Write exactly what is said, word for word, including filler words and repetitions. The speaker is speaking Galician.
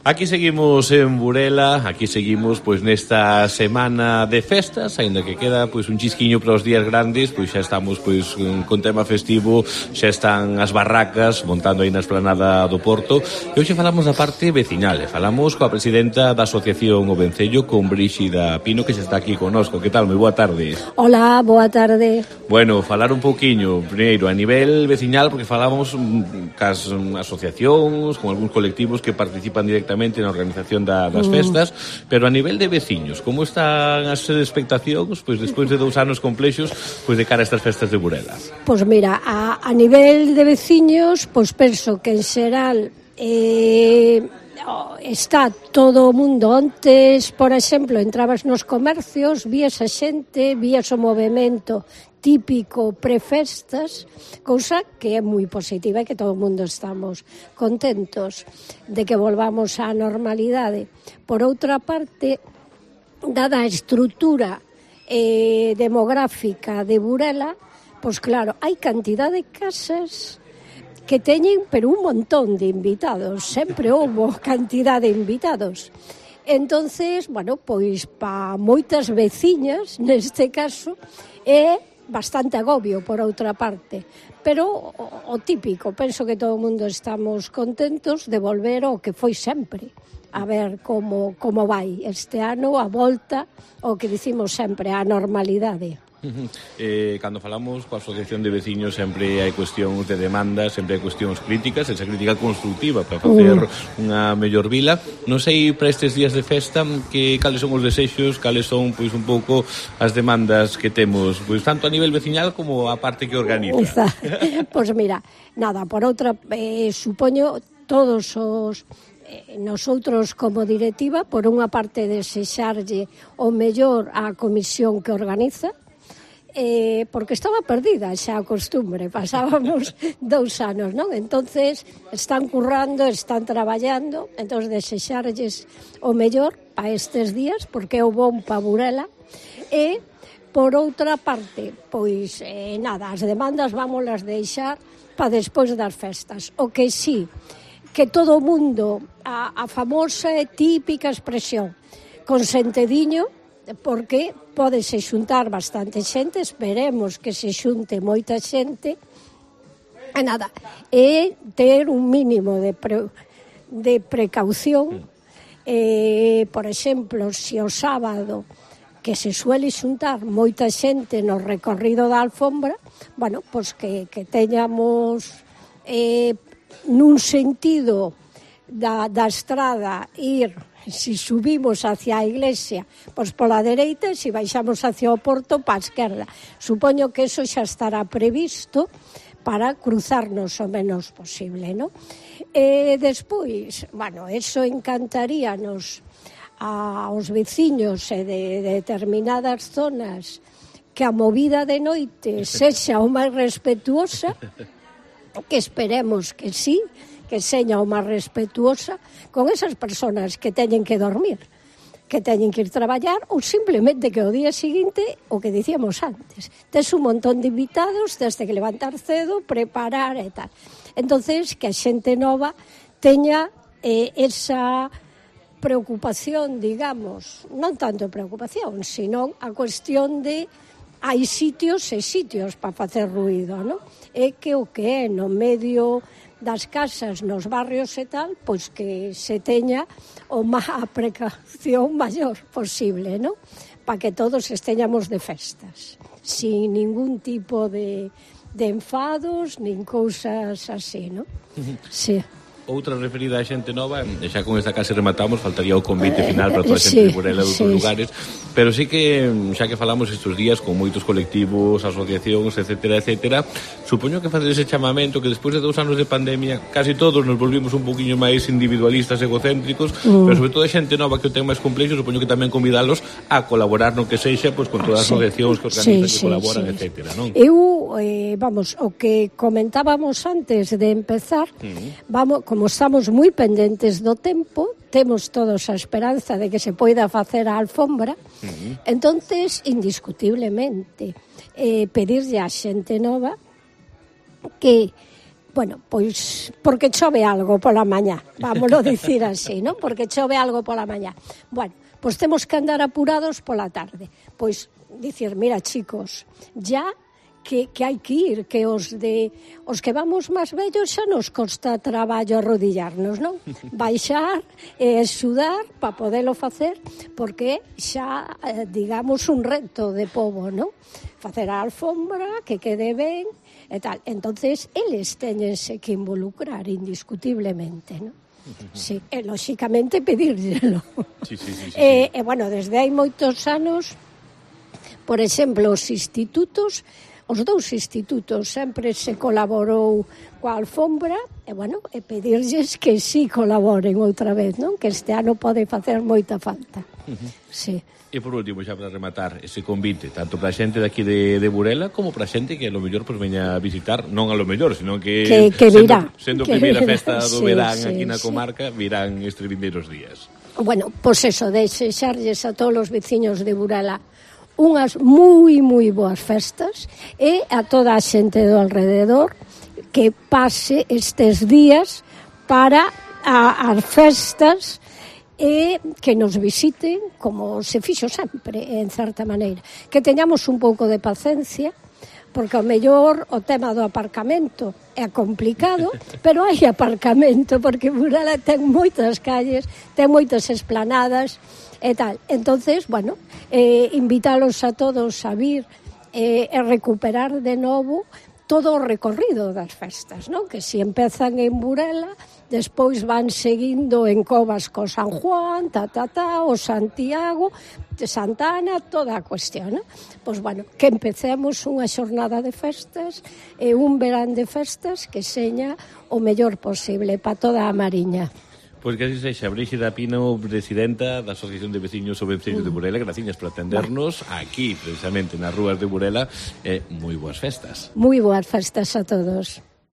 Aquí seguimos en Burela, aquí seguimos pois nesta semana de festas, aínda que queda pois un chisquiño para os días grandes, pois xa estamos pois con tema festivo, xa están as barracas montando aí na esplanada do Porto. E hoxe falamos da parte veciñal, falamos coa presidenta da Asociación O Vencello, con Bríxida Pino, que xa está aquí connosco. Que tal? Moi boa tarde. Hola, boa tarde. Bueno, falar un pouquiño, primeiro, a nivel veciñal, porque falábamos cas asociacións, con algúns colectivos que participan directamente na organización da, das festas, mm. pero a nivel de veciños, como están as expectacións pois despois de dous anos complexos pois de cara a estas festas de Burela? Pois mira, a, a nivel de veciños, pois penso que en xeral eh, está todo o mundo. Antes, por exemplo, entrabas nos comercios, vías a xente, vías o movimento típico prefestas, cousa que é moi positiva e que todo o mundo estamos contentos de que volvamos á normalidade. Por outra parte, dada a estrutura eh, demográfica de Burela, pois claro, hai cantidad de casas que teñen pero un montón de invitados, sempre houbo cantidad de invitados. Entonces, bueno, pois pa moitas veciñas, neste caso, é bastante agobio por outra parte, pero o, o típico, penso que todo o mundo estamos contentos de volver ao que foi sempre, a ver como, como vai este ano, a volta, o que dicimos sempre, a normalidade. Eh, cando falamos coa Asociación de Veciños sempre hai cuestións de demanda, sempre hai cuestións críticas, esa crítica constructiva para facer uh. unha mellor vila. Non sei para estes días de festa que cales son os desexos, cales son pois un pouco as demandas que temos, pois tanto a nivel veciñal como a parte que organiza. Pois mira, nada, por outra eh, supoño todos os nosoutros como directiva, por unha parte desexarlle o mellor á comisión que organiza, Eh, porque estaba perdida xa a costumbre, pasábamos dous anos, non? Entonces están currando, están traballando, entón desexarlles o mellor para estes días, porque é o bon pa Burela. E por outra parte, pois eh, nada, as demandas vámolas deixar para despois das festas. O que sí, que todo o mundo, a, a famosa e típica expresión, con sentediño, porque pódese xuntar bastante xente, esperemos que se xunte moita xente, e nada, e ter un mínimo de, pre, de precaución, eh, por exemplo, se o sábado que se suele xuntar moita xente no recorrido da alfombra, bueno, pois que, que teñamos eh, nun sentido da, da estrada ir. Si subimos hacia a iglesia, pois pola dereita, e se baixamos hacia o porto, pa esquerda. Supoño que eso xa estará previsto para cruzarnos o menos posible, non? E despois, bueno, eso encantaríanos aos veciños e de, de determinadas zonas que a movida de noite sexa o máis respetuosa, que esperemos que sí, que seña o máis respetuosa con esas persoas que teñen que dormir, que teñen que ir traballar, ou simplemente que o día seguinte, o que dicíamos antes, tes un montón de invitados, desde que levantar cedo, preparar e tal. Entonces, que a xente nova teña eh, esa preocupación, digamos, non tanto preocupación, sino a cuestión de hai sitios e sitios para facer ruido, non? É que o que é no medio das casas, nos barrios e tal, pois que se teña o má precaución maior posible, non? Para que todos esteñamos de festas, sin ningún tipo de, de enfados, nin cousas así, non? Sí. Outra referida a xente nova, e xa con esta case rematamos, faltaría o convite final para toda a xente sí, de Burela de outros sí, lugares, pero sí que, xa que falamos estes días con moitos colectivos, asociacións, etcétera, etcétera, supoño que facer ese chamamento que despois de dous anos de pandemia casi todos nos volvimos un poquinho máis individualistas, egocéntricos, mm. pero sobre todo a xente nova que o ten máis complexo, supoño que tamén convidalos a colaborar no que sexa, pois con todas as sí, asociacións que organizan, sí, que colaboran, sí, etcétera, non? Eu, eh, vamos, o que comentábamos antes de empezar, mm. vamos, como estamos moi pendentes do tempo, temos todos a esperanza de que se poida facer a alfombra, uh-huh. entonces, indiscutiblemente, eh, pedirlle a xente nova que Bueno, pois porque chove algo pola mañá, vámoslo dicir así, non? Porque chove algo pola mañá. Bueno, pois temos que andar apurados pola tarde. Pois dicir, mira, chicos, ya que, que hai que ir, que os de os que vamos máis vellos xa nos costa traballo arrodillarnos, non? Baixar e axudar para podelo facer, porque xa, eh, digamos, un reto de pobo, non? Facer a alfombra, que quede ben, e tal. Entonces, eles teñense que involucrar indiscutiblemente, non? Sí, e, lóxicamente, pedírselo. Sí, sí, sí, sí, sí. E, e, bueno, desde hai moitos anos, por exemplo, os institutos, os dous institutos sempre se colaborou coa alfombra, e, bueno, e pedirlles que sí colaboren outra vez, non? Que este ano pode facer moita falta. Uh-huh. Sí. E por último, xa para rematar, ese convite, tanto para a xente daqui de, de Burela, como para a xente que a lo mellor pues, veña a visitar, non a lo mellor, sino que, que, que virá, sendo, sendo que primeira virá, festa do sí, verán sí, aquí na sí. comarca, virán estes vindeiros días. Bueno, pois pues eso, desexarlles a todos os veciños de Burela unhas moi, moi boas festas e a toda a xente do alrededor que pase estes días para a, as festas e que nos visiten como se fixo sempre, en certa maneira. Que teñamos un pouco de paciencia, porque ao mellor o tema do aparcamento é complicado, pero hai aparcamento, porque Burela ten moitas calles, ten moitas esplanadas e tal. Entonces, bueno, eh, invítalos a todos a vir eh, e recuperar de novo todo o recorrido das festas, non? Que se empezan en Burela, despois van seguindo en Covas co San Juan, ta, ta, ta, o Santiago, de Santa Ana, toda a cuestión, non? Pois, bueno, que empecemos unha xornada de festas e un verán de festas que seña o mellor posible para toda a Mariña. Pois que así sexa, Brígida Pino, presidenta da Asociación de Veciños o Veciños de Burela, graciñas por atendernos aquí, precisamente, nas rúas de Burela, e moi boas festas. Moi boas festas a todos.